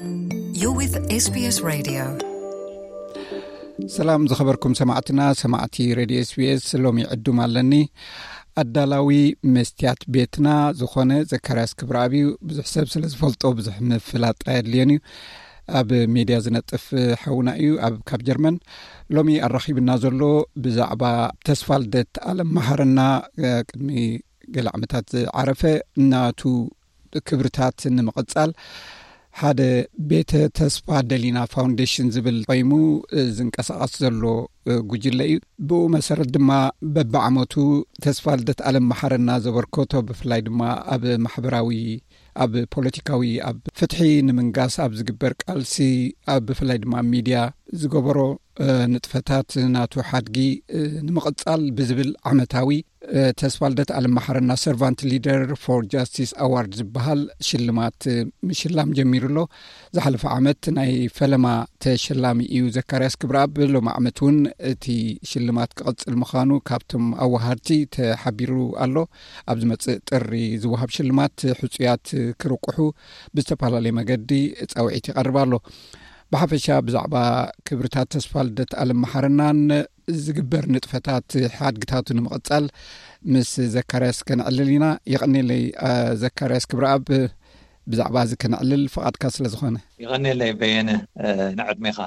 You're with S B S Radio. ሰላም ዝኸበርኩም ሰማዕትና፣ ሰማዕቲ ሬድዮ ኤስቢኤስ፣ ሎሚ ዕዱም ኣለኒ። ኣዳላዊ መስትያት ቤትና ዝኾነ ዘካርያስ ክብረኣብ እዩ። ብዙሕ ሰብ ስለ ዝፈልጦ ብዙሕ ምፍላጥ ኣየድልዮን እዩ። ኣብ ሜድያ ዝነጥፍ ሓውና እዩ፣ ኣብ ካብ ጀርመን። ሎሚ ኣራኺብና ዘሎ ብዛዕባ ተስፋ ልደት ኣለም መሓረና፣ ቅድሚ ገለ ዓመታት ዝዓረፈ፣ ናቱ ክብርታት ንምቕጻል ሓደ ቤተ ተስፋ ደሊና ፋውንዴሽን ዝብል ቆይሙ ዝንቀሳቐስ ዘሎ ጉጅለ እዩ። ብኡ መሰረት ድማ በብዓመቱ ተስፋ ልደት ኣለም መሓረና ዘበርከቶ፣ ብፍላይ ድማ ኣብ ማሕበራዊ፣ ኣብ ፖለቲካዊ፣ ኣብ ፍትሒ ንምንጋስ ኣብ ዝግበር ቃልሲ፣ ኣብ ብፍላይ ድማ ኣብ ሚድያ ዝገበሮ ንጥፈታት፣ ናቱ ሓድጊ ንምቕጻል ብዝብል ዓመታዊ ተስፋ ልደት ኣለም መሓረና ሰርቫንት ሊደር ፎር ጃስቲስ ኣዋርድ ዝበሃል ሽልማት ምሽላም ጀሚሩ ኣሎ። ዝሓለፈ ዓመት ናይ ፈለማ ተሸላሚ እዩ ዘካርያስ ክብረኣብ። ሎሚ ዓመት እውን እቲ ሽልማት ክቕጽል ምዃኑ ካብቶም ኣወሃድቲ ተሓቢሩ ኣሎ። ኣብ ዝመጽእ ጥሪ ዝወሃብ ሽልማት ሕጹያት ክርቁሑ ብዝተፈላለየ መገዲ ጻውዒት ይቐርብ ኣሎ። ብሓፈሻ ብዛዕባ ክብርታት ተስፋ ልደት ኣለም መሓረናን ዝግበር ንጥፈታት ሓድግታቱ ንምቕጻል ምስ ዘካርያስ ከነዕልል ኢና። የቐኔለይ፣ አ፣ ዘካርያስ ክብረኣብ፣ ብዛዕባ እዚ ከነዕልል ፍቓድካ ስለ ዝኾነ። የቐኔለይ በየነ፣ እ፣ ንዕድሜኻ።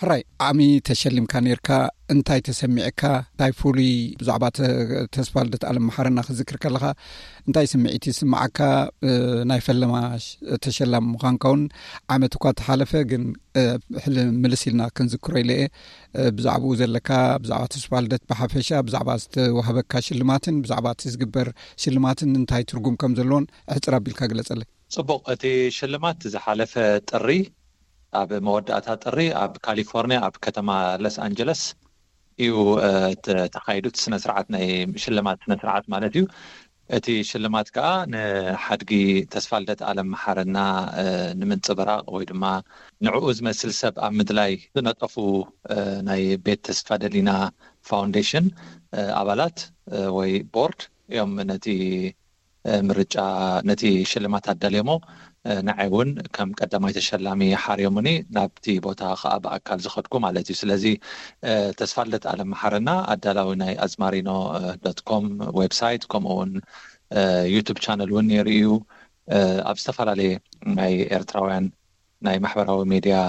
ሕራይ፣ ዓሚ ተሸሊምካ ነይርካ፣ እንታይ ተሰሚዕካ? እንታይ ፍሉይ ብዛዕባ ተ-፣ ተስፋ ልደት ኣለም መሓረና ክዝክር ከለኻ እንታይ ስምዒት ይስምዓካ? እ፣ ናይ ፈለማ ሽ-፣ ተሸላሚ ምዃንካ እውን ዓመት እኳ ተሓለፈ፣ ግን፣ እ፣ ሕል-፣ ምልስ ኢልና ክንዝክሮ ኢለ እየ። እ፣ ብዛዕባኡ ዘለካ፣ ብዛዕባ ተስፋ ልደት ብሓፈሻ፣ ብዛዕባ ዝተዋህበካ ሽልማትን ብዛዕባ እቲ ዝግበር ሽልማትን እንታይ ትርጉም ከም ዘለዎን ሕጽር ኣቢልካ ግለጸለይ። ጽቡቕ፣ እቲ ሽልማት ዝሓለፈ ጥሪ፣ ኣብ መወዳእታ ጥሪ ኣብ ካሊፎርኒያ ኣብ ከተማ ሎስ ኣንጀለስ እዩ፣ እ፣ ተ-፣ ተኻይዱ። እቲ ስነ ስርዓት፣ ናይ ሽልማት ስነ ስርዓት ማለት እዩ። እቲ ሽልማት ከኣ ንሓድጊ ተስፋ ልደት ኣለም መሓረና፣ እ፣ ንምንጽብራቕ ወይ ድማ ንዕኡ ዝመስል ሰብ ኣብ ምድላይ ዝነጠፉ፣ እ፣ ናይ ቤት ተስፋ ደሊና ፋውንዴሽን፣ እ፣ ኣባላት፣ እ፣ ወይ ቦርድ እዮም ነቲ፣ እ፣ ምርጫ፣ ነቲ ሽልማት ኣዳልዮሞ። እ፣ ንዓይ እውን ከም ቀዳማይ ተሸላሚ ሓርዮሙኒ፣ ናብቲ ቦታ ከኣ ብኣካል ዝኸድኩ ማለት እዩ። ስለዚ፣ እ፣ ተስፋ ልደት ኣለም መሓረና ኣዳላዊ ናይ ኣዝማሪኖ፣ እ፣ ዶት ኮም ዌብሳይት፣ ከምኡ እውን፣ እ፣ ዩቱብ ቻነል እውን ነይሩ እዩ። እ፣ ኣብ ዝተፈላለየ ናይ ኤርትራውያን ናይ ማሕበራዊ ሜድያ፣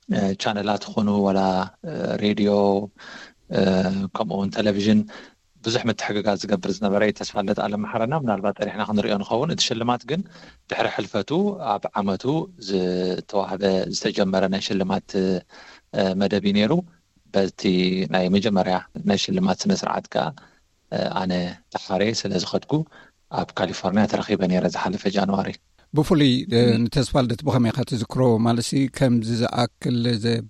እ፣ ቻነላት ይኹኑ፣ ዋላ፣ እ፣ ሬድዮ፣ እ፣ ከምኡ እውን ቴሌቪዥን ብዙሕ ምትሕግጋዝ ዝገብር ዝነበረ እዩ ተስፋ ልደት ኣለም መሓረና። ምናልባት ጸኒሕና ክንሪኦ ንኸውን። እቲ ሽልማት ግን ድሕሪ ሕልፈቱ ኣብ ዓመቱ ዝተዋህበ፣ ዝተጀመረ ናይ ሽልማት፣ እ፣ መደብ እዩ ነይሩ። በቲ ናይ መጀመርያ ናይ ሽልማት ስነ ስርዓት ከኣ፣ እ፣ ኣነ ተሓሬ ስለ ዝኸድኩ ኣብ ካሊፎርኒያ ተረኺበ ነይረ ዝሓለፈ ጃንዋሪ። ብፍሉይ፣ እ፣ እም። ንተስፋ ልደት ብኸመይ ኢኻ ትዝክሮ? ማለትሲ ከምዚ ዝኣክል ዘ-፣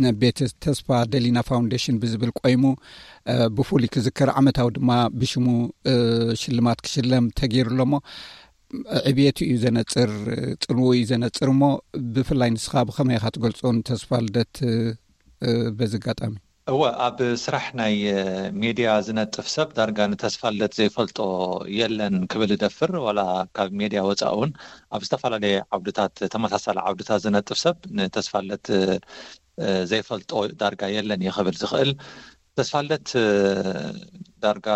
ነ-፣ ቤት ተስፋ ደሊና ፋውንዴሽን ብዝብል ቆይሙ፣ እ፣ ብፍሉይ ክዝከር፣ ዓመታዊ ድማ ብሽሙ፣ እ፣ ሽልማት ክሽለም ተገይሩ ኣሎ እሞ፣ ዕብየቱ እዩ ዘነጽር፣ ጽልዎ እዩ ዘነጽር እሞ፣ ብፍላይ ንስኻ ብኸመይ ኢኻ ትገልጾ ንተስፋ ልደት፣ እ፣ በዚ ኣጋጣሚ? እወ፣ ኣብ ስራሕ ናይ፣ እ፣ ሜድያ ዝነጥፍ ሰብ ዳርጋ ንተስፋ ልደት ዘይፈልጦ የለን ክብል እደፍር። ዋላ ካብ ሜድያ ወጻኢ እውን ኣብ ዝተፈላለየ ዓውድታት፣ ተመሳሳሊ ዓውድታት ዝነጥፍ ሰብ ንተስፋ ልደት፣ እ፣ ዘይፈልጦ ዳርጋ የለን እየ ክብል ዝኽእል። ተስፋ ልደት፣ እ፣ ዳርጋ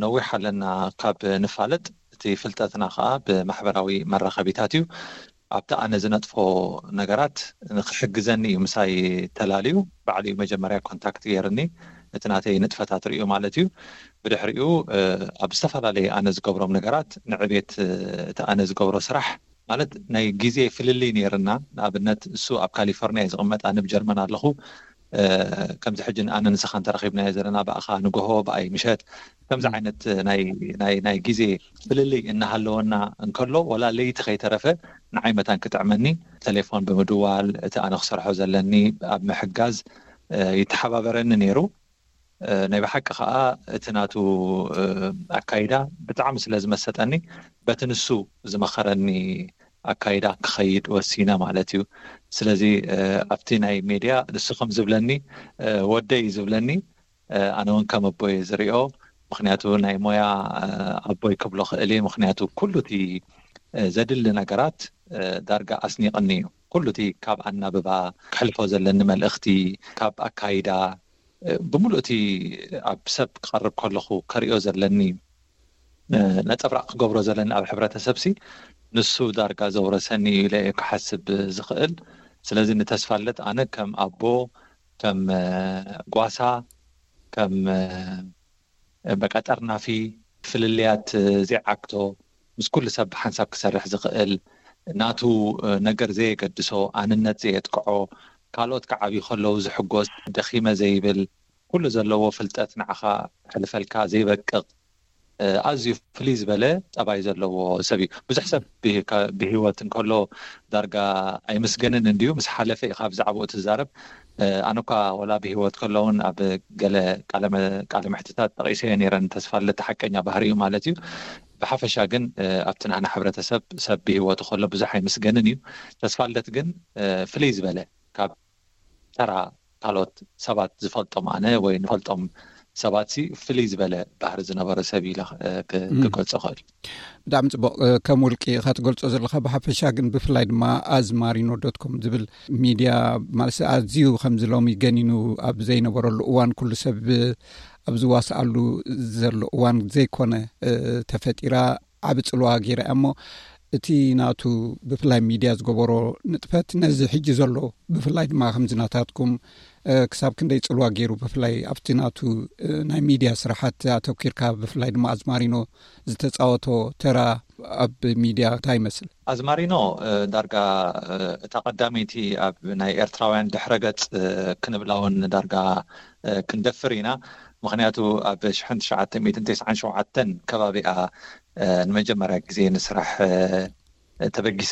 ነዊሕ ኣለና ካብ ንፋለጥ። እቲ ፍልጠትና ከኣ ብማሕበራዊ መራኸቢታት እዩ። ኣብቲ ኣነ ዝነጥፎ ነገራት ንኽሕግዘኒ እዩ ምሳይ ተላልዩ። ባዕሉ እዩ መጀመርያ ኮንታክት ገይርኒ፣ እቲ ናተይ ንጥፈታት ርእዩ ማለት እዩ። ብድሕሪኡ፣ እ፣ ኣብ ዝተፈላለየ ኣነ ዝገብሮም ነገራት ንዕቤት፣ እ፣ እቲ ኣነ ዝገብሮ ስራሕ፣ ማለት ናይ ግዜ ፍልልይ ነይርና። ንኣብነት እሱ ኣብ ካሊፎርኒያ እዩ ዝቕመጥ፣ ኣነ ኣብ ጀርመን ኣለኹ። እ፣ ከምዚ ሕጂ ኣነ ንስኻን ተራኺብናዮ ዘለና ብኣኻ ንግሆ፣ ብኣይ ምሸት፣ ከምዚ ም። ዓይነት ናይ፣ ናይ፣ ናይ ግዜ ፍልልይ እናሃለወና እንከሎ፣ ወላ ለይቲ ከይተረፈ ንዓይ መታን ክጥዕመኒ ቴሌፎን ብምድዋል፣ እቲ ኣነ ክሰርሖ ዘለኒ ኣብ ምሕጋዝ፣ እ፣ ይተሓባበረኒ ነይሩ። እ፣ ናይ ብሓቂ ኸኣ እቲ ናቱ፣ እ፣ ኣካይዳ ብጣዕሚ ስለ ዝመሰጠኒ፣ በቲ ንሱ ዝመኸረኒ ኣካይዳ ክኸይድ ወሲነ ማለት እዩ። ስለዚ፣ እ፣ ኣብቲ ናይ ሜድያ ንሱ ከም ዝብለኒ፣ እ፣ ወደይ እዩ ዝብለኒ፣ እ፣ ኣነ እውን ከም ኣቦይ ዝሪኦ፣ ምኽንያቱ ናይ ሞያ፣ እ፣ ኣቦይ ክብሎ ክእል እየ። ምኽንያቱ ኩሉ እቲ፣ እ፣ ዘድሊ ነገራት፣ እ፣ ዳርጋ ኣስኒቕኒ እዩ። ኩሉ እቲ ካብ ኣናብባ፣ ክሕልፎ ዘለኒ መልእኽቲ፣ ካብ ኣካይዳ፣ እ፣ ብምሉእ እቲ ኣብ ሰብ ክቐርብ ከለኹ ከርእዮ ዘለኒ፣ እ፣ ነጸብራቕ ክገብሮ ዘለኒ ኣብ ሕብረተሰብሲ፣ ንሱ ዳርጋ ዘውረሰኒ እዩ ኢለ እየ ክሓስብ ዝኽእል። ስለዚ ንተስፋለት ኣነ ከም ኣቦ፣ ከም፣ እ፣ ጓሳ፣ ከም፣ እ፣ በቃ ጠርናፊ፣ ፍልልያት፣ እ፣ ዘይዓግቶ፣ ምስ ኩሉ ሰብ ብሓንሳብ ክሰርሕ ዝኽእል፣ ናቱ፣ እ፣ ነገር ዘየገድሶ፣ ኣንነት ዘየጥቅዖ፣ ካልኦት ክዓብዩ ከለዉ ዝሕጎስ፣ ደኺመ ዘይብል፣ ኩሉ ዘለዎ ፍልጠት ንዓኻ ክሕልፈልካ ዘይበቅቕ፣ እ፣ ኣዝዩ ፍልይ ዝበለ ጠባይ ዘለዎ ሰብ እዩ። ብዙሕ ሰብ ብህ-፣ ካ-፣ ብህይወት እንከሎ ዳርጋ ኣይምስገንን እንድዩ፣ ምስ ሓለፈ ኢኻ ብዛዕባኡ ትዛረብ። እ፣ ኣነ እኳ ወላ ብህይወት ከሎ እውን ኣብ ገለ ቃለ መ-፣ ቃለ መሕትታት ጠቒሰዮ ነይረ ንተስፋለት ሓቀኛ ባህሪኡ ማለት እዩ። ብሓፈሻ ግን፣ እ፣ ኣብቲ ናህና ሕብረተሰብ ሰብ ብህይወቱ ከሎ ብዙሕ ኣይምስገንን እዩ። ተስፋለት ግን፣ እ፣ ፍልይ ዝበለ ካብ ተራ ካልኦት ሰባት ዝፈልጦም ኣነ ወይ ንፈልጦም ሰባት ሲ ፍልይ ዝበለ ባህሪ ዝነበረ ሰብ ኢለ፣ እ፣ ክ-፣ እም። ክገልጾ እኽእል። ብጣዕሚ ጽቡቕ። እ፣ ከም ውልቂ ኢኻ ትገልጾ ዘለኻ፣ ብሓፈሻ ግን ብፍላይ ድማ ኣዝማሪኖ ዶት ኮም ዝብል ሚድያ ማለት ኣዝዩ ከምዚ ሎሚ ገኒኑ ኣብ ዘይነበረሉ እዋን፣ ኩሉ ሰብ ኣብ ዝዋስኣሉ ዘሎ እዋን ዘይኮነ፣ እ፣ ተፈጢራ ዓቢ ጽልዋ ገይራ እያ እሞ፣ እቲ ናቱ ብፍላይ ሚድያ ዝገበሮ ንጥፈት ነዚ ሕጂ ዘሎ ብፍላይ ድማ ከምዚ ናታትኩም፣ እ፣ ክሳብ ክንደይ ጽልዋ ገይሩ ብፍላይ ኣብቲ ናቱ፣ እ፣ ናይ ሚድያ ስራሓት ኣተኪርካ ብፍላይ ድማ ኣዝማሪኖ ዝተጻወቶ ተራ ኣብ ሚድያ እንታይ ይመስል? ኣዝማሪኖ፣ እ፣ ዳርጋ፣ እ፣ እታ ቀዳመይቲ ኣብ ናይ ኤርትራውያን ድሕረ ገጽ፣ እ፣ ክንብላ እውን ዳርጋ፣ እ፣ ክንደፍር ኢና። ምኽንያቱ ኣብ ሽሕን ትሽዓተ ሚእትን ተስዓን ሸውዓተን ከባቢኣ፣ እ፣ ንመጀመርያ ግዜ ንስራሕ፣ እ፣ ተበጊሳ።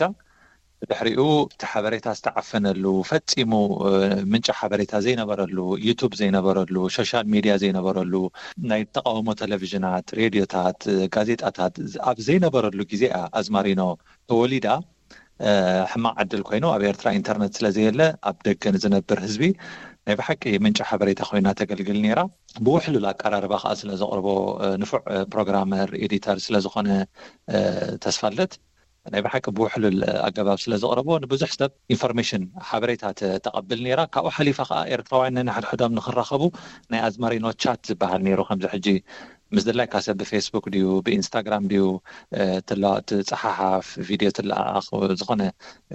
ብድሕሪኡ እቲ ሓበሬታ ዝተዓፈነሉ፣ ፈጺሙ፣ እ፣ ምንጪ ሓበሬታ ዘይነበረሉ፣ ዩቱብ ዘይነበረሉ፣ ሶሻል ሚድያ ዘይነበረሉ፣ ናይ ተቃውሞ ቴሌቪዥናት፣ ሬድዮታት፣ ጋዜጣታት ኣብ ዘይነበረሉ ግዜ እያ ኣዝማሪኖ ተወሊዳ። እ፣ ሕማቕ ዕድል ኮይኑ ኣብ ኤርትራ ኢንተርነት ስለ ዘየለ ኣብ ደገ ንዝነብር ህዝቢ ናይ ብሓቂ ምንጪ ሓበሬታ ኮይና ተገልግል ነይራ። ብውሕሉል ኣቀራርባ ከኣ ስለ ዘቕርቦ፣ እ፣ ንፉዕ፣ እ፣ ፕሮግራመር፣ ኤዲተር ስለ ዝኾነ፣ እ፣ ተስፋለት ናይ ብሓቂ ብውሕሉል ኣገባብ ስለ ዘቕረቦ ንብዙሕ ሰብ ኢንፎርሜሽን ሓበሬታ ተ-፣ ተቐብል ነይራ። ካብኡ ሓሊፋ ከኣ ኤርትራውያን ነንሕድሕዶም ንኽራኸቡ ናይ ኣዝማሪኖ ቻት ዝበሃል ነይሩ። ከምዚ ሕጂ ምስ ድላይካ ሰብ ብፌስቡክ ድዩ ብኢንስታግራም ድዩ፣ እ፣ ትላ-፣ ትጸሓሓፍ፣ ቪድዮ ትለኣኣኽ፣ ዝኾነ፣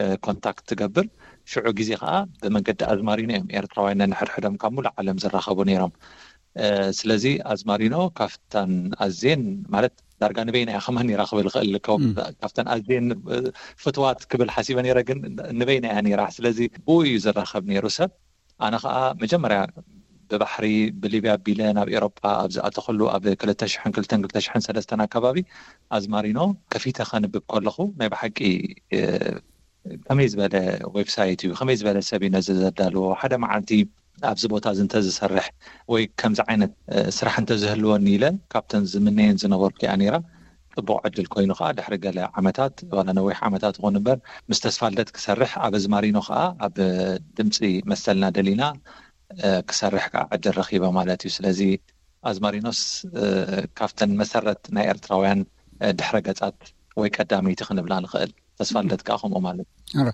እ፣ ኮንታክት ትገብር። ሽዑ ግዜ ከኣ ብመንገዲ ኣዝማሪኖ እዮም ኤርትራውያን ነንሕድሕዶም ካብ ሙሉእ ዓለም ዝራኸቡ ነይሮም። እ፣ ስለዚ ኣዝማሪኖ ካብተን ኣዝየን ማለት ዳርጋ ንበይና እያ ከማን ነይራ ክብል ይኽእል። ካብ-፣ እም። ካብተን ኣዝየን፣ እ፣ ፍትዋት ክብል ሓሲበ ነይረ፣ ግን ንበይና እያ ነይራ። ስለዚ ብኡ እዩ ዝራኸብ ነይሩ ሰብ። ኣነ ኸኣ መጀመርያ ብባሕሪ ብሊብያ ኣቢለ ናብ ኤሮጳ ኣብ ዝኣተኹሉ ኣብ ክልተ ሽሕን ክልተን ክልተ ሽሕን ሰለስተን ኣከባቢ ኣዝማሪኖ ከፊተ ከንብብ ከለኹ ናይ ብሓቂ፣ እ፣ ከመይ ዝበለ ዌብሳይት እዩ፣ ከመይ ዝበለ ሰብ እዩ ነዚ ዘዳልዎ፣ ሓደ መዓልቲ ኣብዚ ቦታ እዚ እንተዝሰርሕ ወይ ከምዚ ዓይነት፣ እ፣ ስራሕ እንተዝህልወኒ ኢለ ካብተን ዝምነየን ዝነበርኩ እያ ነይራ። ጽቡቕ ዕድል ኮይኑ ከኣ ድሕሪ ገለ ዓመታት፣ ዋላ ነዊሕ ዓመታት ይኹን እምበር፣ ምስ ተስፋልደት ክሰርሕ ኣብ ኣዝማሪኖ ከኣ ኣብ ድምጺ መሰልና ደሊና፣ እ፣ ክሰርሕ ከኣ ዕድል ረኺበ ማለት እዩ። ስለዚ ኣዝማሪኖስ፣ እ፣ ካብተን መሰረት ናይ ኤርትራውያን፣ እ፣ ድሕረ ገጻት ወይ ቀዳመይቲ ክንብላ ንኽእል። ተስፋልደት ከኣ ከምኡ ማለት እዩ። ኣረ፣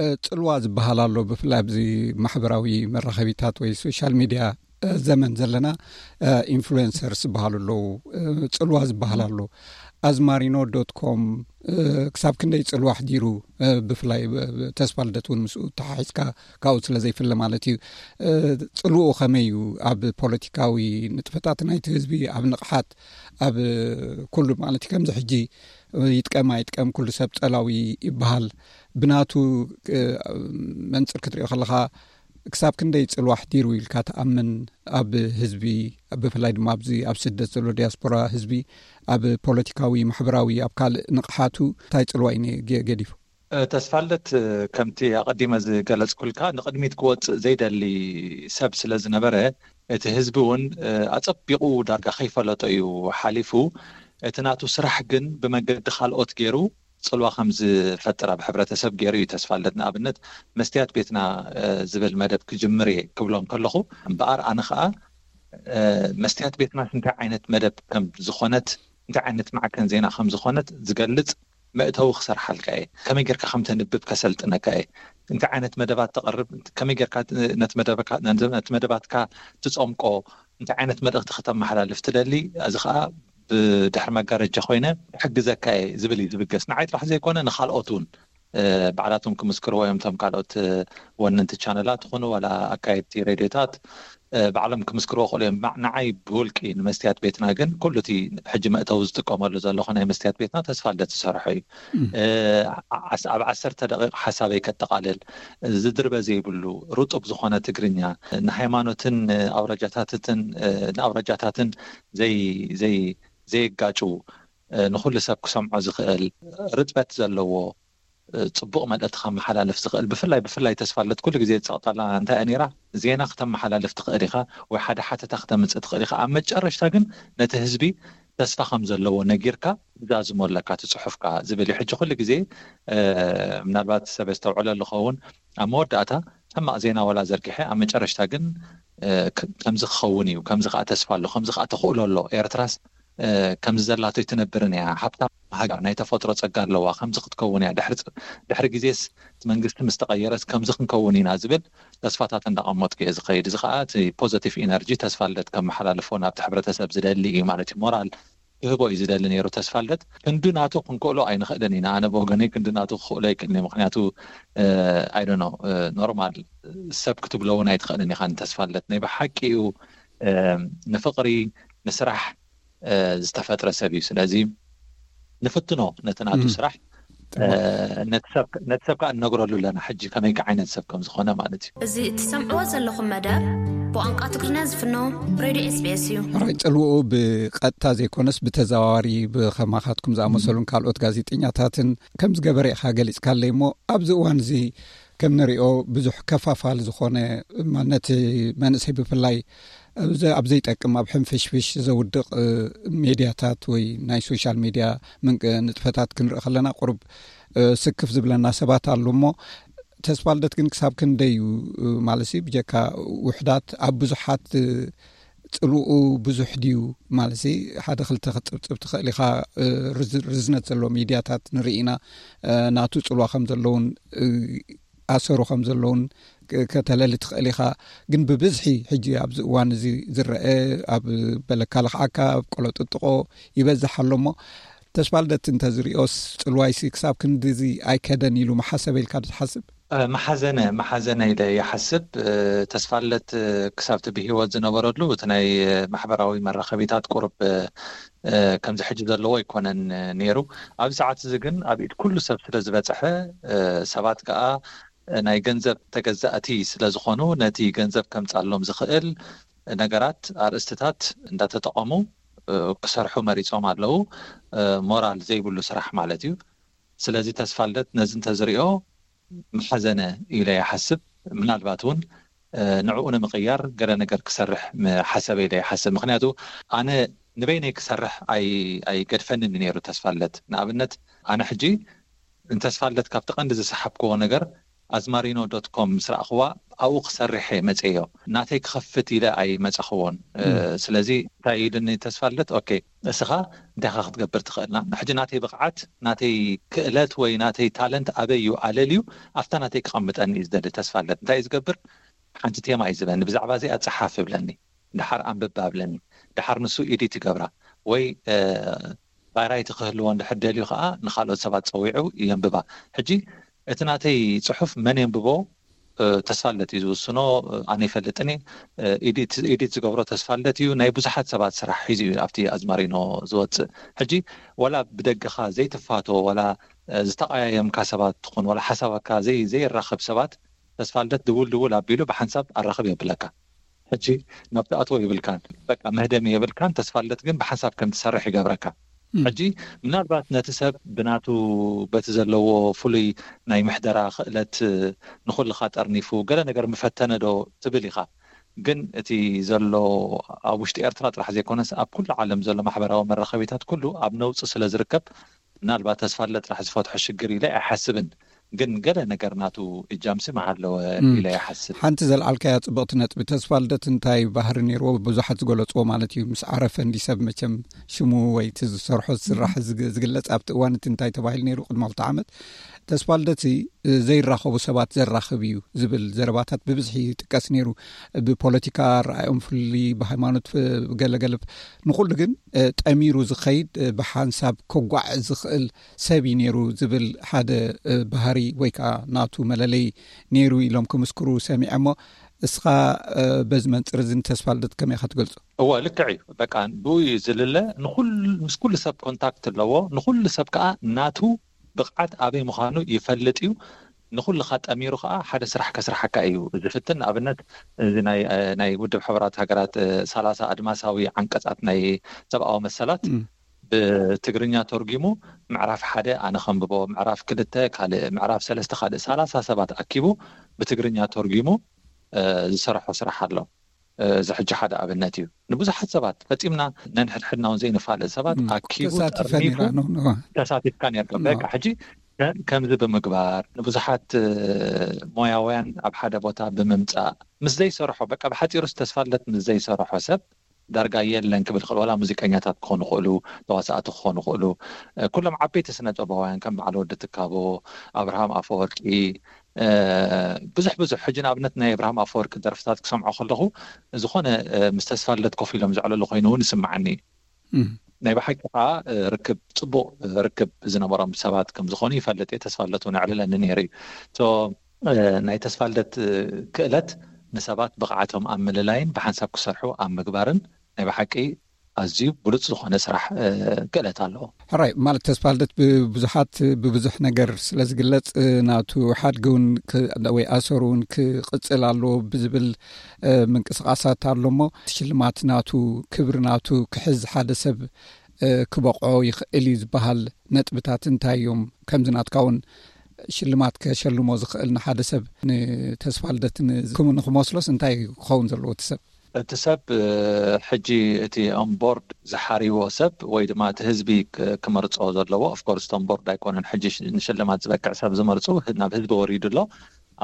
እ፣ ጽልዋ ዝበሃል ኣሎ፣ ብፍላይ ኣብዚ ማሕበራዊ መራኸቢታት ወይ ሶሻል ሚድያ፣ እ፣ ዘመን ዘለና፣ እ፣ ኢንፍሉዌንሰርስ ዝበሃሉ ኣለዉ። እ፣ ጽልዋ ዝበሃል ኣሎ። ኣዝማሪኖ ዶት ኮም፣ እ፣ ክሳብ ክንደይ ጽልዋ ኣሕዲሩ፣ እ፣ ብፍላይ ብ-፣ ብ-፣ ተስፋልደት እውን ምስኡ ተሓሒዝካ ካብኡ ስለ ዘይፍለ ማለት እዩ። እ፣ ጽልውኡ ከመይ እዩ ኣብ ፖለቲካዊ ንጥፈታት ናይቲ ህዝቢ፣ ኣብ ንቕሓት፣ ኣብ ኩሉ ማለት እዩ። ከምዚ ሕጂ ይጥቀም ኣይጥቀም ኩሉ ሰብ ጸላዊ ይበሃል። ብናቱ፣ እ፣ መንጽር ክትሪኦ ከለኻ ክሳብ ክንደይ ጽልዋ ኣሕዲሩ ኢልካ ትኣምን ኣብ ህዝቢ፣ ብፍላይ ድማ ኣብዚ ኣብ ስደት ዘሎ ዲያስፖራ ህዝቢ ኣብ ፖለቲካዊ፣ ማሕበራዊ፣ ኣብ ካልእ ንቕሓቱ እንታይ ጽልዋ እዩ ነ-፣ ገ-፣ ገዲፉ? እ፣ ተስፋልደት፣ እ፣ ከምቲ ኣቐዲመ ዝገለጽኩልካ ንቕድሚት ክወጽእ ዘይደሊ ሰብ ስለ ዝነበረ እቲ ህዝቢ እውን፣ እ፣ ኣጸቢቑ ዳርጋ ከይፈለጦ እዩ ሓሊፉ። እቲ ናቱ ስራሕ ግን ብመገዲ ካልኦት ገይሩ ጽልዋ ከም ዝፈጥር ኣብ ሕብረተሰብ ገይሩ እዩ ተስፋልደት። ንኣብነት መስትያት ቤትና፣ እ፣ ዝብል መደብ ክጅምር እየ ክብሎም ከለኹ እምበኣር ኣነ ኸኣ፣ እ፣ መስትያት ቤትናስ እንታይ ዓይነት መደብ ከም ዝኾነት፣ እንታይ ዓይነት ማዕከን ዜና ከም ዝኾነት ዝገልጽ መእተዊ ክሰርሓልካ እየ፣ ከመይ ጌርካ ከም ተንብብ ከሰልጥነካ እየ፣ እንታይ ዓይነት መደባት ተቕርብ፣ ከመይ ጌርካ ነቲ መደባትካ ትጸምቆ፣ እንታይ ዓይነት መልእኽቲ ክተመሓላልፍ ትደሊ፣ እዚ ከዓ ብድሕሪ መጋረጃ ኮይነ ክሕግዘካ እየ ዝብል እዩ ዝብገስ። ንዓይ ጥራሕ ዘይኮነ ንካልኦት እውን ባዕላቶም ክምስክርዎ እዮም። እቶም ካልኦት ወነንቲ ቻነላት ይኹኑ ዋላ ኣካየድቲ ሬድዮታት ባዕሎም ክምስክርዎ ክእሉ እዮም። ንዓይ ብውልቂ ንመስትያት ቤትና ግን ኩሉ እቲ ሕጂ መእተዊ ዝጥቀመሉ ዘለኹ ናይ መስትያት ቤትና ተስፋ ልደት ዝሰርሖ እዩ። ኣብ ዓሰርተ ደቂቕ ሓሳበይ ከጠቓልል፣ ዝድርበ ዘይብሉ ርጡብ ዝኾነ ትግርኛ፣ ንሃይማኖትን ኣውረጃታትን ንኣውረጃታትን ዘይ ዘይ ዘይጋጩ፣ ንኩሉ ሰብ ክሰምዖ ዝኽእል፣ ርጥበት ዘለዎ፣ ጽቡቕ መልእኽቲ ከመሓላልፍ ዝኽእል፣ ብፍላይ ብፍላይ ተስፋ ልደት ኩሉ ግዜ ዝጸቕጠላ እንታይ እያ ነይራ? ዜና ክተመሓላልፍ ትኽእል ኢኻ ወይ ሓደ ሓተታ ክተምጽእ ትኽእል ኢኻ። ኣብ መጨረሽታ ግን ነቲ ህዝቢ ተስፋ ከም ዘለዎ ነጊርካ ትዛዝሞ ኣለካ እቲ ጽሑፍካ ዝብል እዩ። ሕጂ ኩሉ ግዜ ምናልባት ሰብ የስተውዕለሉ ኸውን፣ ኣብ መወዳእታ ሕማቕ ዜና ዋላ ዘርጊሐ ኣብ መጨረሽታ ግን ከምዚ ክኸውን እዩ፣ ከምዚ ከዓ ተስፋ ኣሎ፣ ከምዚ ከዓ ተኽእሎ ኣሎ፣ ኤርትራስ ከምዚ ዘላቶ ኣይትነብርን እያ፣ ሃብታም ሃገር ናይ ተፈጥሮ ጸጋ ኣለዋ፣ ከምዚ ክትከውን እያ፣ ድሕሪ ግዜስ እቲ መንግስቲ ምስ ተቐየረስ ከምዚ ክንከውን ኢና ዝብል ተስፋታት እንዳቐመጥኩ እየ ዝኸይድ። እዚ ከዓ እቲ ፖዘቲቭ ኢነርጂ ተስፋ ልደት ከመሓላልፎ ናብቲ ሕብረተሰብ ዝደሊ እዩ ማለት እዩ። ሞራል ክህቦ እዩ ዝደሊ ነይሩ ተስፋ ልደት። ክንዲ ናቱ ክንክእሎ ኣይንኽእልን ኢና። ኣነ ብወገነይ ክንዲ ናቱ ክኽእሎ ኣይክእልን እየ። ምክንያቱ ኣይዶኖ ኖርማል ሰብ ክትብሎ እውን ኣይትኽእልን ኢኻ ንተስፋ ልደት። ናይ ብሓቂ እዩ ንፍቕሪ፣ ንስራሕ ዝተፈጥረ ሰብ እዩ። ስለዚ ንፍትኖ ነቲ ናቱ ስራሕ፣ ነቲ ሰብ ከዓ እነግረሉ ኣለና ሕጂ ከመይ ዓይነት ሰብ ከም ዝኾነ ማለት እዩ። እዚ እትሰምዕዎ ዘለኹም መደብ ብቋንቋ ትግርኛ ዝፍኖ ሬድዮ ኤስቢኤስ እዩ። ራይ ጽልውኡ ብቐጥታ ዘይኮነስ ብተዘዋዋሪ ብኸማኻትኩም ዝኣመሰሉን ካልኦት ጋዜጠኛታትን ከም ዝገበረ ኢኻ ገሊጽካለይ እሞ ኣብዚ እዋን እዚ ከም ንሪኦ ብዙሕ ከፋፋል ዝኾነ ነቲ መንእሰይ ብፍላይ ኣብ ዘይጠቅም ኣብ ሕንፍሽፍሽ ዘውድቕ ሜድያታት ወይ ናይ ሶሻል ሜድያ ንጥፈታት ክንርኢ ከለና ቁሩብ ስክፍ ዝብለና ሰባት ኣሉ እሞ ተስፋ ልደት ግን ክሳብ ክንደይ እዩ ማለት ብጀካ ውሕዳት ኣብ ብዙሓት ጽልኡ ብዙሕ ድዩ ማለት ሓደ ክልተ ክትጽብጽብ ትኽእል ኢኻ። ርዝነት ዘለዎ ሚድያታት ንርኢ ኢና ናቱ ጽልዋ ከም ዘለውን ኣሰሩ ከም ዘለውን ከተለሊ ትኽእል ኢኻ። ግን ብብዝሒ ሕጂ ኣብዚ እዋን እዚ ዝረአ ኣብ በለካ ልኽዓካ ኣብ ቆሎ ጥጥቆ ይበዝሕ ኣሎ እሞ ተስፋ ልደት እንተዝሪኦስ ጽልዋይሲ ክሳብ ክንድዚ ኣይከደን ኢሉ መሓሰበ ኢልካ ዶ ትሓስብ? መሓዘነ መሓዘነ ኢለ ይሓስብ። ተስፋ ልደት ክሳብ እቲ ብህይወት ዝነበረሉ እቲ ናይ ማሕበራዊ መራኸቢታት ቁሩብ ከምዚ ሕጂ ዘለዎ ኣይኮነን ነይሩ። ኣብዚ ሰዓት እዚ ግን ኣብ ኢድ ኩሉ ሰብ ስለ ዝበጽሐ ሰባት ከዓ ናይ ገንዘብ ተገዛእቲ ስለ ዝኾኑ ነቲ ገንዘብ ከምጻሎም ዝኽእል ነገራት ኣርእስትታት እንዳተጠቐሙ ክሰርሑ መሪጾም ኣለዉ። ሞራል ዘይብሉ ስራሕ ማለት እዩ። ስለዚ ተስፋ ልደት ነዚ እንተዝሪኦ መሓዘነ ኢለ ይሓስብ። ምናልባት እውን ንዕኡ ንምቕያር ገለ ነገር ክሰርሕ ሓሰበ ኢለ ይሓስብ። ምክንያቱ ኣነ ንበይነይ ክሰርሕ ኣይገድፈንን ነይሩ ተስፋ ልደት። ንኣብነት ኣነ ሕጂ ንተስፋ ልደት ካብቲ ቀንዲ ዝሰሓብክዎ ነገር ኣዝማሪኖ ዶት ኮም ምስ ረኣኽዋ ኣብኡ ክሰርሕ እየ መፅዮ። ናተይ ክኸፍት ኢለ ኣይመፃኽዎን። ስለዚ እንታይ ኢሉኒ ተስፋ ልደት፣ ኦኬ እስኻ እንታይ ኢኻ ክትገብር ትኽእልና? ሕጂ ናተይ ብቕዓት፣ ናተይ ክእለት ወይ ናተይ ታለንት ኣበይ እዩ ኣለልዩ ኣብታ ናተይ ክቐምጠኒ እዩ ዝደሊ ተስፋ ልደት። እንታይ እዩ ዝገብር? ሓንቲ ቴማ እዩ ዝበኒ፣ ብዛዕባ እዚኣ ፀሓፍ ይብለኒ፣ ድሓር ኣንብብ ኣብለኒ፣ ድሓር ንሱ ኢዲት ይገብራ ወይ ቫይራይቲ ክህልዎ እንድሕር ደልዩ ከዓ ንካልኦት ሰባት ፀዊዑ የንብባ። ሕጂ እቲ ናተይ ፅሑፍ መን የንብቦ ተስፋ ልደት እዩ ዝውስኖ። ኣነ ይፈልጥን ኢዲት ዝገብሮ ተስፋ ልደት እዩ። ናይ ብዙሓት ሰባት ስራሕ ሒዙ እዩ ኣብቲ ኣዝማሪኖ ዝወፅእ። ሕጂ ዋላ ብደገኻ ዘይትፋቶ ዋላ ዝተቀያየምካ ሰባት ትኹን ዋላ ሓሳባካ ዘይራኸብ ሰባት ተስፋ ልደት ድውል ድውል ኣቢሉ ብሓንሳብ ኣራኽብ የብለካ። ሕጂ ናብ ትኣትዎ ይብልካን በቃ መህደሚ የብልካን። ተስፋ ልደት ግን ብሓንሳብ ከም ትሰርሕ ይገብረካ። ሕጂ ምናልባት ነቲ ሰብ ብናቱ በቲ ዘለዎ ፍሉይ ናይ ምሕደራ ክእለት ንኹልኻ ጠርኒፉ ገለ ነገር ምፈተነ ዶ ትብል ኢኻ። ግን እቲ ዘሎ ኣብ ውሽጢ ኤርትራ ጥራሕ ዘይኮነስ ኣብ ኩሉ ዓለም ዘሎ ማሕበራዊ መራኸቢታት ኩሉ ኣብ ነውፂ ስለ ዝርከብ ምናልባት ተስፋ ልደት ጥራሕ ዝፈትሖ ሽግር ኢለ ኣይሓስብን። ግን ገለ ነገር ናቱ እጃምሲ ምሃለወ እም። ኢለ ይሓስብ። ሓንቲ ዘልዓልካያ ጽብቕቲ ነጥቢ፣ ተስፋ ልደት እንታይ ባህሪ ነይርዎ? ብዙሓት ዝገለጽዎ ማለት እዩ። ምስ ዓረፈ እንዲ ሰብ መቸም ሽሙ ወይ እቲ ዝሰርሖ ዝስራሕ ዝግ-፣ ዝግለጽ ኣብቲ እዋን እቲ እንታይ ተባሂሉ ነይሩ? ቅድሚ ክልተ ዓመት ተስፋ ልደት እ፣ ዘይራኸቡ ሰባት ዘራኽብ እዩ ዝብል ዘረባታት ብብዝሒ ይጥቀስ ነይሩ። ብፖለቲካ ኣረኣእዮም ፍሉይ፣ ብሃይማኖት፣ እ፣ ገለገለ፣ ንኹሉ ግን፣ እ፣ ጠሚሩ ዝኸይድ፣ እ፣ ብሓንሳብ ከጓዕ ዝኽእል ሰብ እዩ ነይሩ ዝብል ሓደ፣ እ፣ ባህሪ ወይ ከዓ ናቱ መለለይ ነይሩ ኢሎም ክምስክሩ ሰሚዐ። እሞ እስኻ፣ እ፣ በዚ መንጽር እዚ ንተስፋ ልደት ከመይ ኢኻ ትገልጾ? እወ፣ ልክዕ እዩ። በቃ ብኡ እዩ ዝልለ። ንኹል-፣ ምስ ኩሉ ሰብ ኮንታክት ኣለዎ። ንኹሉ ሰብ ከዓ ናቱ ብቕዓት ኣበይ ምዃኑ ይፈልጥ እዩ። ንኹልኻ ጠሚሩ ከዓ ሓደ ስራሕ ከስርሓካ እዩ ዝፍትን። ንኣብነት፣ እዚ ናይ፣ ናይ ውድብ ሕቡራት ሃገራት፣ እ፣ ሰላሳ ኣድማሳዊ ዓንቀጻት ናይ ሰብኣዊ መሰላት እም። ብትግርኛ ተርጊሙ ምዕራፍ ሓደ ኣነ ከንብቦ፣ ምዕራፍ ክልተ ካልእ፣ ምዕራፍ ሰለስተ ካልእ፣ ሰላሳ ሰባት ኣኪቡ ብትግርኛ ተርጊሙ፣ እ፣ ዝሰርሖ ስራሕ ኣሎ። እ፣ እዚ ሕጂ ሓደ ኣብነት እዩ። ንብዙሓት ሰባት ፈጺምና ነንሕድሕድና እውን ዘይንፋለጥ ሰባት እም። ኣኪቡ ተሳቲፈ ጠርኒፉ ነይራ፣ ኖ፣ ኖ። ተሳቲፍካ ነርካ። ኖ። በቃ ሕጂ ከ-፣ ከምዚ ብምግባር ንብዙሓት፣ እ፣ ሞያውያን ኣብ ሓደ ቦታ ብምምጻእ ምስ ዘይሰርሖ፣ በቃ ብሓጺሩስ ተስፋ ልደት ምስ ዘይሰርሖ ሰብ ዳርጋ የለን ክብል ይኽእል። ዋላ ሙዚቀኛታት ክኾኑ ይኽእሉ፣ ተዋሳእቲ ክኾኑ ይኽእሉ፣ እ፣ ኩሎም ዓበይቲ ስነ ጥበባውያን ከም በዓል ወዲ ትካቦ፣ ኣብርሃም ኣፈወርቂ፣ እ፣ ብዙሕ ብዙሕ። ሕጂ ንኣብነት ናይ ኣብርሃም ኣፈወርቂ ደርፍታት ክሰምዖ ከለኹ ዝኾነ፣ እ፣ ምስ ተስፋ ልደት ኮፍ ኢሎም ዘዕለሉ ኮይኑ እውን ይስምዓኒ። እም። ናይ ብሓቂ ከዓ፣ እ፣ ርክብ፣ ጽቡቕ ርክብ ዝነበሮም ሰባት ከም ዝኾኑ ይፈልጥ እየ። ተስፋ ልደት እውን የዕልለኒ ነይሩ እዩ። ሶ፣ እ፣ ናይ ተስፋ ልደት፣ እ፣ ክእለት ንሰባት ብቕዓቶም ኣብ ምልላይን ብሓንሳብ ክሰርሑ ኣብ ምግባርን ናይ ብሓቂ ኣዝዩ ብሉጽ ዝኾነ ስራሕ፣ እ፣ ክእለት ኣለዎ። ሕራይ፣ ማለት ተስፋ ልደት ብብዙሓት ብብዙሕ ነገር ስለ ዝግለጽ፣ እ፣ ናቱ ሓድጊ እውን ክ-፣ ወይ ኣሰሩ እውን ክቕጽል ኣለዎ ብዝብል፣ እ፣ ምንቅስቓሳት ኣሎ። እሞ ሽልማት ናቱ፣ ክብሪ ናቱ ክሕዝ ሓደ ሰብ፣ እ፣ ክበቕዖ ይኽእል እዩ ዝበሃል ነጥብታት እንታይ እዮም? ከምዚ ናትካ እውን ሽልማት ከሸልሞ ዝኽእል ንሓደ ሰብ ንተስፋ ልደት ን-፣ ክም-፣ ንኽመስሎስ እንታይ ክኸውን ዘለዎ እቲ ሰብ? እቲ ሰብ፣ እ፣ ሕጂ እቲ ኦን ቦርድ ዝሓርይዎ ሰብ ወይ ድማ እቲ ህዝቢ ክ-፣ ክመርጾ ዘለዎ፣ ኦፍኮርስ እቲ ኦን ቦርድ ኣይኮነን ሕጂ ሽ-፣ ንሽልማት ዝበቅዕ ሰብ ዝመርጹ፣ ህ-፣ ናብ ህዝቢ ወሪዱ ኣሎ።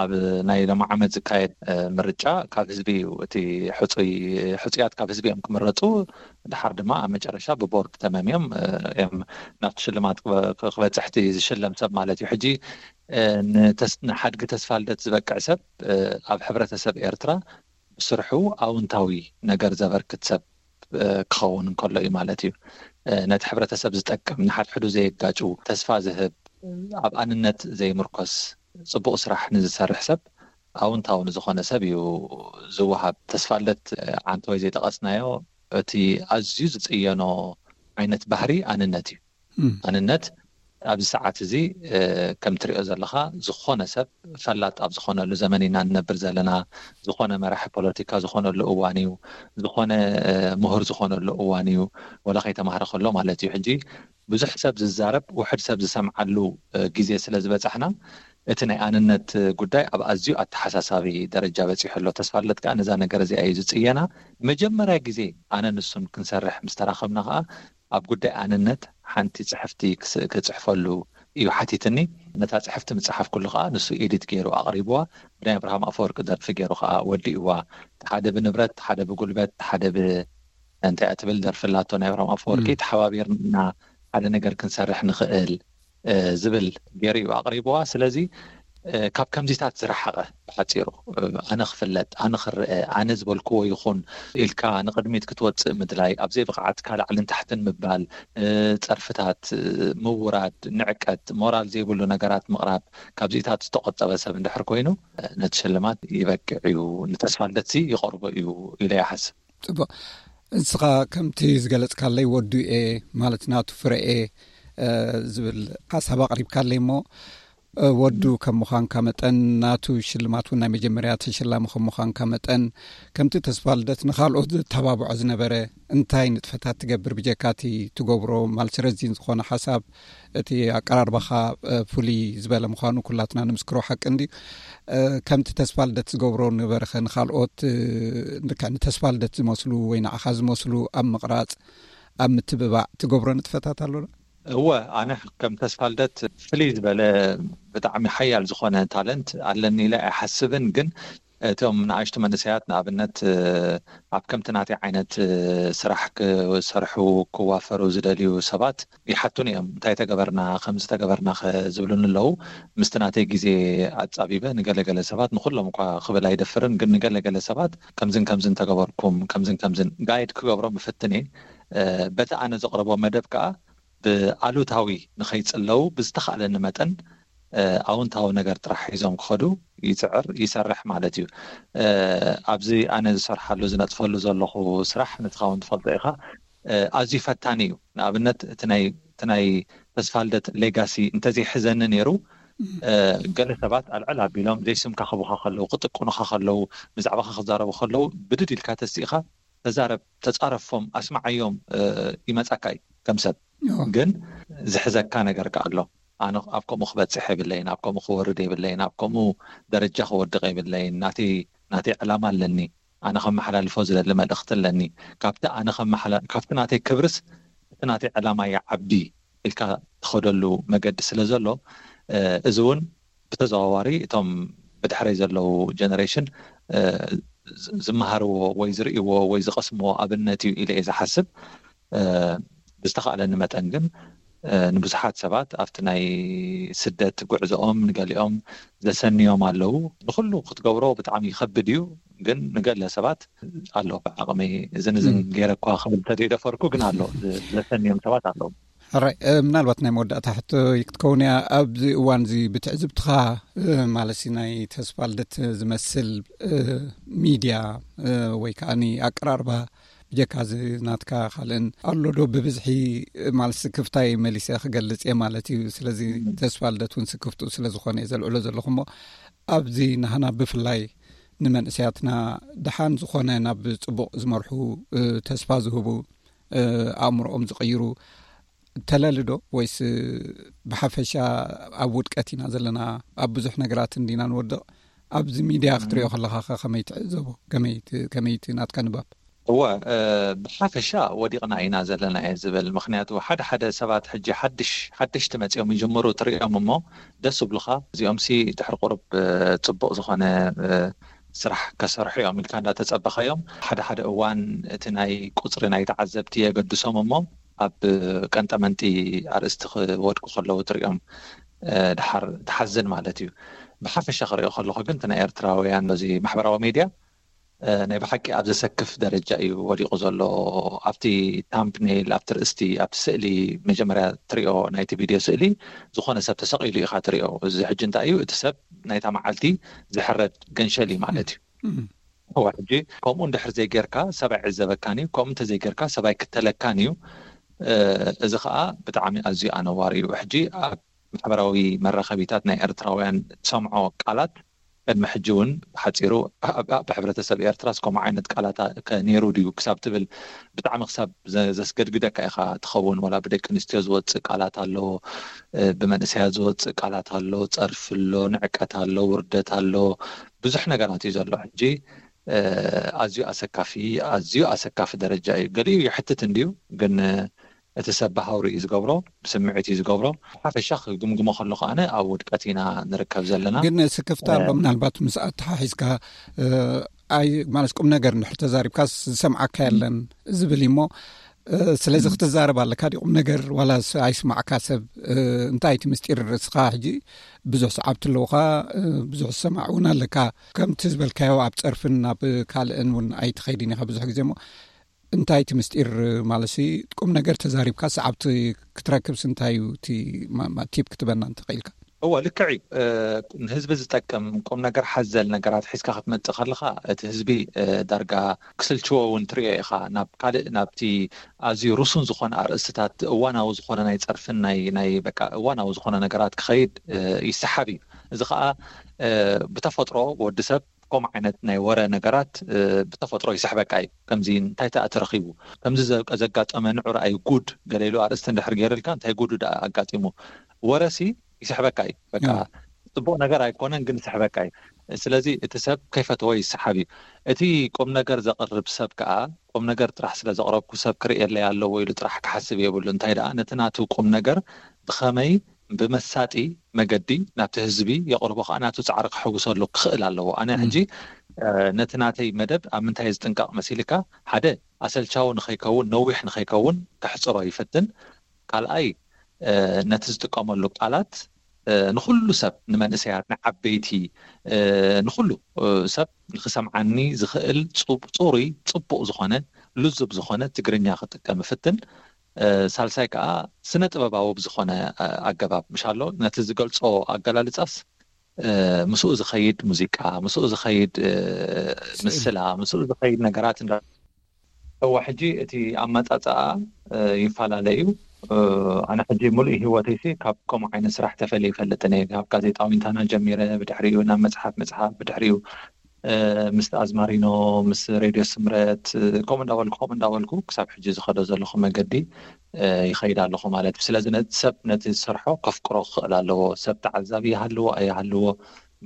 ኣብ ናይ ሎሚ ዓመት ዝካየድ፣ እ፣ ምርጫ ካብ ህዝቢ እዩ። እቲ ሕጹይ፣ ሕጹያት ካብ ህዝቢ እዮም ክምረጹ። ድሓር ድማ ኣብ መጨረሻ ብቦርድ ተመምዮም፣ እ፣ እዮም ናብቲ ሽልማት ክበ-፣ ክበጽሕ እቲ ዝሽለም ሰብ ማለት እዩ። ሕጂ፣ እ፣ ንተስ-፣ ንሓድጊ ተስፋ ልደት ዝበቅዕ ሰብ፣ እ፣ ኣብ ሕብረተሰብ ኤርትራ ብስርሑ ኣውንታዊ ነገር ዘበርክት ሰብ፣ እ፣ ክኸውን እንከሎ እዩ ማለት እዩ። እ፣ ነቲ ሕብረተሰብ ዝጠቅም፣ ንሓድሕዱ ዘየጋጩ፣ ተስፋ ዝህብ፣ ኣብ ኣንነት ዘይምርኮስ፣ ጽቡቕ ስራሕ ንዝሰርሕ ሰብ፣ ኣውንታዊ ንዝኾነ ሰብ እዩ ዝወሃብ። ተስፋ ልደት፣ እ፣ ዓንተወይ ዘይጠቐስናዮ፣ እቲ ኣዝዩ ዝጽየኖ ዓይነት ባህሪ ኣንነት እዩ። እም። ኣንነት ኣብዚ ሰዓት እዚ፣ እ፣ ከም ትሪኦ ዘለኻ፣ ዝኾነ ሰብ ፈላጥ ኣብ ዝኾነሉ ዘመን ኢና ንነብር ዘለና። ዝኾነ መራሒ ፖለቲካ ዝኾነሉ እዋን እዩ። ዝኾነ፣ እ፣ ምሁር ዝኾነሉ እዋን እዩ። ወላ ከይተማህረ ከሎ ማለት እዩ። ሕጂ ብዙሕ ሰብ ዝዛረብ፣ ውሑድ ሰብ ዝሰምዓሉ፣ እ፣ ግዜ ስለ ዝበጻሕና፣ እቲ ናይ ኣንነት ጉዳይ ኣብ ኣዝዩ ኣተሓሳሳቢ ደረጃ በጺሑ ኣሎ። ተስፋ ልደት ከኣ ነዛ ነገር እዚኣ እዩ ዝጽየና። መጀመርያ ግዜ ኣነ ንሱን ክንሰርሕ ምስ ተራኸብና ከኣ፣ ኣብ ጉዳይ ኣንነት ሓንቲ ጽሕፍቲ ክስ-፣ ክጽሕፈሉ እዩ ሓቲትኒ። ነታ ጽሕፍቲ ምስ ጸሓፍኩሉ ከኣ ንሱ ኤዲት ገይሩ ኣቕሪብዋ። ብናይ ኣብርሃም ኣፈወርቂ ደርፊ ገይሩ ከኣ ወዲእዋ። ሓደ ብንብረት፣ ሓደ ብጉልበት፣ ሓደ ብ-፣ እንታይ እያ ትብል ደርፊ ኣላቶ ናይ ኣብርሃም ኣፈወርቂ፣ እም። ተሓባቢርና ሓደ ነገር ክንሰርሕ ንኽእል፣ እ፣ ዝብል ገይሩ እዩ ኣቕሪብዋ። ስለዚ፣ እ፣ ካብ ከምዚታት ዝረሓቐ፣ ብሓጺሩ፣ እ፣ ኣነ ክፍለጥ፣ ኣነ ክረአ፣ ኣነ ዝበልክዎ ይኹን ኢልካ ንቕድሚት ክትወጽእ ምድላይ፣ ኣብ ዘይብቕዓትካ ላዕልን ታሕትን ምባል፣ እ፣ ጸርፍታት፣ እ፣ ምውራድ፣ ንዕቀት፣ ሞራል ዘይብሉ ነገራት ምቕራብ፣ ካብዚታት ዝተቖጠበ ሰብ እንድሕር ኮይኑ፣ እ፣ ነቲ ሽልማት ይበቅዕ እዩ፣ ንተስፋ ልደትሲ ይቐርቦ እዩ ኢለ ይሓስብ። ጽቡቕ። ንስኻ ከምቲ ዝገለጽካለይ ወዱ እየ፣ ማለት ናቱ ፍረ እየ፣ እ፣ ዝብል ሓሳብ ኣቕሪብካለይ እሞ፣ እ፣ ወዱ ከም ምዃንካ መጠን፣ ናቱ ሽልማት እውን ናይ መጀመርያ ተሸላሚ ከም ምዃንካ መጠን፣ ከምቲ ተስፋ ልደት ንኻልኦት ዘተባብዖ ዝነበረ፣ እንታይ ንጥፈታት ትገብር ብጀካ እቲ ትገብሮ? ማለት ረዚን ዝኾነ ሓሳብ፣ እቲ ኣቀራርባኻ፣ እ፣ ፍሉይ ዝበለ ምዃኑ ኩላትና ንምስክሮ ሓቂ እንድዩ። እ፣ ከምቲ ተስፋ ልደት ዝገብሮ ነበረኸ ንኻልኦት፣ እ፣ ልክዕ ንተስፋ ልደት ዝመስሉ ወይ ንዓኻ ዝመስሉ ኣብ ምቕራጽ፣ ኣብ ምትብባዕ ትገብሮ ንጥፈታት ኣሎ ዶ? እወ፣ ኣነ ከም ተስፋ ልደት ፍልይ ዝበለ ብጣዕሚ ሓያል ዝኾነ ታለንት ኣለኒ ኢለ ኣይሓስብን። ግን እቶም ንኣሽቱ መንእሰያት ንኣብነት ኣብ ከምቲ ናተይ ዓይነት ስራሕ ክሰርሑ ክዋፈሩ ዝደልዩ ሰባት ይሓቱን እዮም። እንታይ ተገበርና፣ ከምዚ ተገበርና ዝብሉን ኣለዉ። ምስቲ ናተይ ግዜ ኣጻቢበ ንገለገለ ሰባት፣ ንኩሎም እኳ ክብል ኣይደፍርን፣ ግን ንገለገለ ሰባት ከምዝን ከምዝን ተገበርኩም፣ ከምዝን ከምዝን ጋይድ ክገብሮም እፍትን እየ። በቲ ኣነ ዘቕረቦ መደብ ከኣ ብኣሉታዊ ንኸይጽለዉ ብዝተኻእለኒ መጠን ኣውንታዊ ነገር ጥራሕ ሒዞም ክኸዱ ይጽዕር፣ ይሰርሕ ማለት እዩ። ኣብዚ ኣነ ዝሰርሓሉ፣ ዝነጥፈሉ ዘለኹ ስራሕ፣ ንስኻ እውን ትፈልጦ ኢኻ፣ ኣዝዩ ፈታኒ እዩ። ንኣብነት እቲ ናይ ተስፋልደት ሌጋሲ እንተዘይሕዘኒ ነይሩ፣ ገለ ሰባት ኣልዕል ኣቢሎም ዘይስምካ ክቡኻ ከለዉ፣ ክጥቅኑኻ ከለዉ፣ ብዛዕባኻ ክዛረቡ ከለዉ፣ ብድድ ኢልካ ተስኢኻ ተዛረብ፣ ተጻረፎም፣ ኣስማዓዮም ይመጻካ እዩ ከም ሰብ። ግን ዝሕዘካ ነገር ከ ኣሎ። ኣነ ኣብ ከምኡ ክበጽሕ የብለይን፣ ኣብ ከምኡ ክወርድ የብለይን፣ ኣብ ከምኡ ደረጃ ክወድቕ የብለይን። ናተይ ናተይ ዕላማ ኣለኒ። ኣነ ከመሓላልፎ ዝደሊ መልእኽቲ ኣለኒ። ካብቲ ኣነ ከመሓላ-፣ ካብቲ ናተይ ክብርስ እቲ ናተይ ዕላማ ይዓቢ ኢልካ ትኸደሉ መገዲ ስለ ዘሎ፣ እዚ እውን ብተዘዋዋሪ እቶም ብድሕረይ ዘለዉ ጀነሬሽን ዝመሃርዎ ወይ ዝርእይዎ ወይ ዝቐስምዎ ኣብነት እዩ ኢለ እየ ዝሓስብ። ብዝተኻእለኒ መጠን ግን ንብዙሓት ሰባት ኣብቲ ናይ ስደት ጉዕዞኦም ንገሊኦም ዘሰንዮም ኣለዉ። ንኹሉ ክትገብሮ ብጣዕሚ ይኸብድ እዩ፣ ግን ንገለ ሰባት ኣሎ ብዓቕመይ እዝን እዝን ገይረ እኳ ክብል ተደይደፈርኩ፣ ግን ኣሎ ዘሰንዮም ሰባት ኣለዉ። ሕራይ፣ ምናልባት ናይ መወዳእታ ሕቶ ክትከውን እያ። ኣብዚ እዋን እዚ ብትዕዝብትኻ ማለት ናይ ተስፋ ልደት ዝመስል ሚድያ ወይ ከዓ ኣቀራርባ ብጀካ እዚ ናትካ ካልእን ኣሎ ዶ ብብዝሒ ማለት ስክፍታይ መሊሰ ክገልጽ እየ ማለት እዩ። ስለዚ ተስፋ ልደት እውን ስክፍቱ ስለ ዝኾነ እየ ዘልዕሎ ዘለኹ። እሞ ኣብዚ ናህና ብፍላይ ንመንእሰያትና ደሓን ዝኾነ ናብ ጽቡቕ ዝመርሑ ተስፋ ዝህቡ ኣእምሮኦም ዝቕይሩ ተለሊ ዶ ወይስ ብሓፈሻ ኣብ ውድቀት ኢና ዘለና? ኣብ ብዙሕ ነገራት እንዲና ንወድቕ። ኣብዚ ሚድያ ክትሪኦ ከለኻ ከ ከመይ ትዕዘቦ? ከመይ እቲ ናትካ ንባብ? እወ፣ ብሓፈሻ ወዲቕና ኢና ዘለና እየ ዝብል። ምኽንያቱ ሓደ ሓደ ሰባት ሕጂ ሓድሽ ሓደሽቲ መፂኦም ይጅምሩ ትሪኦም እሞ ደስ ይብሉኻ። እዚኦም ሲ ድሕሪ ቁሩብ ፅቡቕ ዝኾነ ስራሕ ከሰርሑ እዮም ኢልካ እንዳተፀበኻዮም፣ ሓደ ሓደ እዋን እቲ ናይ ቁፅሪ ናይ ተዓዘብቲ የገድሶም እሞ ኣብ ቀንጠመንጢ ኣርእስቲ ክወድቁ ከለዉ ትሪኦም ድሓር ትሓዝን ማለት እዩ። ብሓፈሻ ክሪኦ ከለኹ ግን እቲ ናይ ኤርትራውያን በዚ ማሕበራዊ ሜድያ ናይ ብሓቂ ኣብ ዘሰክፍ ደረጃ እዩ ወዲቑ ዘሎ። ኣብቲ ታምፕኔይል፣ ኣብቲ ርእስቲ፣ ኣብቲ ስእሊ መጀመርያ ትሪኦ ናይቲ ቪድዮ ስእሊ ዝኾነ ሰብ ተሰቒሉ ኢኻ ትሪኦ። እዚ ሕጂ እንታይ እዩ? እቲ ሰብ ናይታ መዓልቲ ዝሕረድ ገንሸል እዩ ማለት እዩ። እዋ ሕጂ ከምኡ እንድሕር ዘይጌርካ ሰብኣይ ዕዘበካን እዩ፣ ከምኡ እንተዘይጌርካ ሰብኣይ ክተለካን እዩ። እዚ ከዓ ብጣዕሚ ኣዝዩ ኣነዋሪ እዩ። ሕጂ ኣብ ማሕበራዊ መራኸቢታት ናይ ኤርትራውያን ትሰምዖ ቃላት ቅድሚ ሕጂ እውን ብሓፂሩ ኣብ ሕብረተሰብ ኤርትራስ ከምኡ ዓይነት ቃላት ከ ነይሩ ድዩ ክሳብ ትብል ብጣዕሚ ክሳብ ዘስገድግደካ ኢኻ ትኸውን። ዋላ ብደቂ ኣንስትዮ ዝወፅእ ቃላት ኣሎ፣ ብመንእሰያት ዝወፅእ ቃላት ኣሎ፣ ፀርፊ ኣሎ፣ ንዕቀት ኣሎ፣ ውርደት ኣሎ፣ ብዙሕ ነገራት እዩ ዘሎ። ሕጂ ኣዝዩ ኣሰካፊ፣ ኣዝዩ ኣሰካፊ ደረጃ እዩ። ገሊኡ ይሕትት እንድዩ፣ ግን እቲ ሰብ ብሃውሪ እዩ ዝገብሮ፣ ብስምዒት እዩ ዝገብሮ። ሓፈሻ ክግምግሞ ከለኹ ኣነ ኣብ ውድቀት ኢና ንርከብ ዘለና። ግን ስክፍታ ኣሎ። ምናልባት ምስ ኣተሓሒዝካ ኣይ ማለት ቁም ነገር እንድሕር ተዛሪብካ ዝሰምዓካ የለን ዝብል እሞ ስለዚ ክትዛረብ ኣለካ ዲ ቁም ነገር ዋላ ኣይስማዕካ ሰብ? እንታይ እቲ ምስጢር? ርእስኻ ሕጂ ብዙሕ ሰዓብቲ ኣለውኻ፣ ብዙሕ ዝሰማዕ እውን ኣለካ። ከምቲ ዝበልካዮ ኣብ ፀርፍን ኣብ ካልእን እውን ኣይትኸይድን ኢኻ ብዙሕ ግዜ እሞ እንታይ እቲ ምስጢር? ማለት ቁም ነገር ተዛሪብካ ሰዓብቲ ክትረክብስ እንታይ እዩ እቲ ቲፕ ክትበና እንተኽኢልካ? እወ፣ ልክዕ እዩ። ንህዝቢ ዝጠቅም ቁም ነገር ሓዘል ነገራት ሒዝካ ክትመጽእ ከለኻ እቲ ህዝቢ ዳርጋ ክስልችዎ እውን ትሪኦ ኢኻ። ናብ ካልእ ናብቲ ኣዝዩ ርሱን ዝኾነ ኣርእስትታት እዋናዊ ዝኾነ ናይ ጸርፍን ናይ ናይ በቃ እዋናዊ ዝኾነ ነገራት ክኸይድ ይሰሓብ እዩ። እዚ ኸኣ ብተፈጥሮ ወዲ ሰብ ከምኡ ዓይነት ናይ ወረ ነገራት ብተፈጥሮ ይስሕበካ እዩ። ከምዚ እንታይ ተኣ ተረኺቡ፣ ከምዚ ዘጋጠመ ንዑ ረኣዩ ጉድ ገለ ኢሉ ኣርእስቲ እንድሕር ገይርልካ እንታይ ጉዱ ደኣ ኣጋጢሙ ወረሲ ይስሕበካ እዩ። በቃ ጽቡቕ ነገር ኣይኮነን ግን ይስሕበካ እዩ። ስለዚ እቲ ሰብ ከይፈተዎ ይሰሓብ እዩ። እቲ ቁም ነገር ዘቕርብ ሰብ ከዓ፣ ቁም ነገር ጥራሕ ስለ ዘቕረብኩ ሰብ ክርእየለይ ኣለዎ ኢሉ ጥራሕ ክሓስብ የብሉ። እንታይ ደኣ፣ ነቲ ናቱ ቁም ነገር ብኸመይ፣ ብመሳጢ መገዲ ናብቲ ህዝቢ የቕርቦ ከዓ፣ ናቱ ጻዕሪ ክሕውሰሉ ክኽእል ኣለዎ። ኣነ ሕጂ ነቲ ናተይ መደብ ኣብ ምንታይ ዝጥንቀቕ መሲልካ፣ ሓደ፣ ኣሰልቻዊ ንኸይከውን፣ ነዊሕ ንኸይከውን ክሕጽሮ ይፈትን። ካልኣይ፣ ነቲ ዝጥቀመሉ ቃላት ንኹሉ ሰብ፣ ንመንእሰያት፣ ንዓበይቲ፣ ንኹሉ ሰብ ንኽሰምዓኒ ዝኽእል ጽሩይ፣ ጽቡቕ ዝኾነ፣ ልዙብ ዝኾነ ትግርኛ ክጥቀም እፍትን። ሳልሳይ ከዓ፣ ስነ ጥበባዊ ብዝኾነ ኣገባብ፣ ምሻሎ፣ ነቲ ዝገልጾ ኣገላልጻስ ምስኡ ዝኸይድ ሙዚቃ፣ ምስኡ ዝኸይድ ምስላ፣ ምስኡ ዝኸይድ ነገራት እንዳ እዋ፣ ሕጂ እቲ ኣመጻጽኣ ይፈላለ እዩ። ኣነ ሕጂ ሙሉእ ህይወተይሲ ካብ ከምኡ ዓይነት ስራሕ ተፈልየ ይፈልጥን እየ። ካብ ጋዜጣዊ ትንተና ጀሚረ፣ ብድሕሪኡ ናብ መጽሓፍ ምጽሓፍ፣ ብድሕሪኡ ምስ ኣዝማሪኖ፣ ምስ ሬድዮ ስምረት፣ ከምኡ እንዳበልኩ፣ ከምኡ እንዳበልኩ ክሳብ ሕጂ ዝኸዶ ዘለኹ መገዲ ይኸይድ ኣለኹ ማለት እዩ። ስለዚ ነቲ ሰብ ነቲ ዝሰርሖ ከፍቅሮ ክኽእል ኣለዎ። ሰብ ተዓዛቢ ይሃልዎ ኣይሃልዎ፣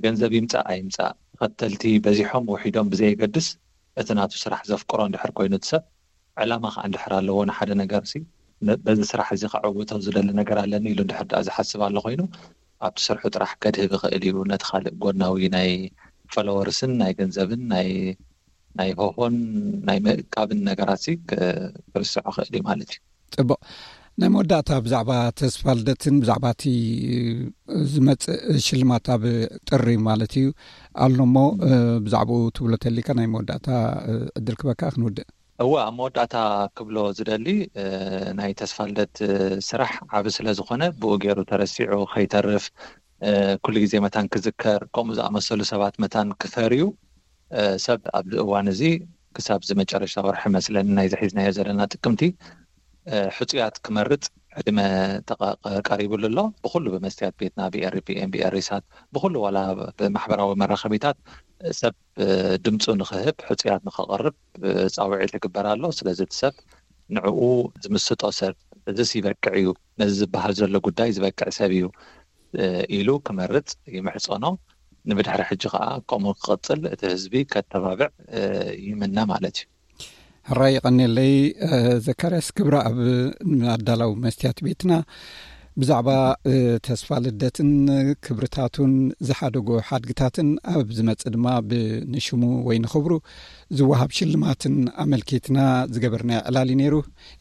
ገንዘብ ይምጻእ ኣይምጻእ፣ ተኸተልቲ በዚሖም ውሒዶም ብዘየገድስ፣ እቲ ናቱ ስራሕ ዘፍቅሮ እንድሕር ኮይኑ፣ እቲ ሰብ ዕላማ ከዓ እንድሕር ኣለዎ ንሓደ ነገር ሲ፣ በዚ ስራሕ እዚ ከዕውቶ ዝደሊ ነገር ኣለኒ ኢሉ እንድሕር ደኣ ዝሓስብ ኣሎ ኮይኑ፣ ኣብቲ ስርሑ ጥራሕ ከድህብ ይኽእል እዩ። ነቲ ካልእ ጎናዊ ናይ ፎሎወርስን ናይ ገንዘብን ናይ ናይ ሆሆን ናይ ምእካብን ነገራት ሲ፣ ክርስዖ ክእል እዩ ማለት እዩ። ጽቡቕ። ናይ መወዳእታ፣ ብዛዕባ ተስፋ ልደትን ብዛዕባ እቲ ዝመጽእ ሽልማት ኣብ ጥሪ ማለት እዩ ኣሎ እሞ፣ ብዛዕባኡ ትብሎ ተሊካ ናይ መወዳእታ ዕድል ክበካ ክንውድእ። እወ፣ ኣብ መወዳእታ ክብሎ ዝደሊ፣ ናይ ተስፋ ልደት ስራሕ ዓቢ ስለ ዝኾነ፣ ብኡ ገይሩ ተረሲዑ ከይተርፍ፣ ኩሉ ግዜ መታን ክዝከር፣ ከምኡ ዝኣመሰሉ ሰባት መታን ክፈርዩ፣ ሰብ ኣብዚ እዋን እዚ ክሳብ እዚ መጨረሽታ ወርሒ መስለኒ ናይ ዝሒዝናዮ ዘለና ጥቅምቲ፣ ሕጹያት ክመርጽ ዕድመ ተቐ-፣ ቀሪቡሉ ኣሎ። ብኹሉ ብመስትያት ቤትና፣ ብኤሪፒኤም፣ ብኤሪሳት፣ ብኹሉ ዋላ ብማሕበራዊ መራኸቢታት ሰብ ድምፁ ንኽህብ፣ ሕጹያት ንኸቐርብ ጻውዒት ይግበር ኣሎ። ስለዚ እቲ ሰብ ንዕኡ ዝምስጦ ሰብ፣ እዚስ ይበቅዕ እዩ፣ ነዚ ዝበሃል ዘሎ ጉዳይ ዝበቅዕ ሰብ እዩ ኢሉ ክመርጽ ይምሕጸኖ። ንብድሕሪ ሕጂ ከኣ ከምኡ ክቕጽል እቲ ህዝቢ ከተባብዕ ይምነ ማለት እዩ። ሕራይ ይቐንየለይ። ዘካርያስ ክብረኣብ፣ ኣዳላዊ መስትያት ቤትና፣ ብዛዕባ ተስፋ ልደትን ክብርታቱን ዝሓደጎ ሓድግታትን ኣብ ዝመጽእ ድማ ብንሽሙ ወይ ንኽብሩ ዝወሃብ ሽልማትን ኣመልኪትና ዝገበርናዮ ዕላል እዩ ነይሩ።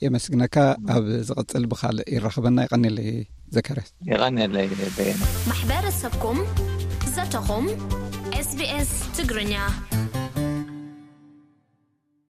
የመስግነካ። ኣብ ዝቕጽል ብኻልእ ይራኸበና። ይቐንየለይ ዘካርያስ። ይቐንየለይ በየነ። ማሕበረሰብኩም፣ ዘተኹም፣ ኤስቢኤስ ትግርኛ።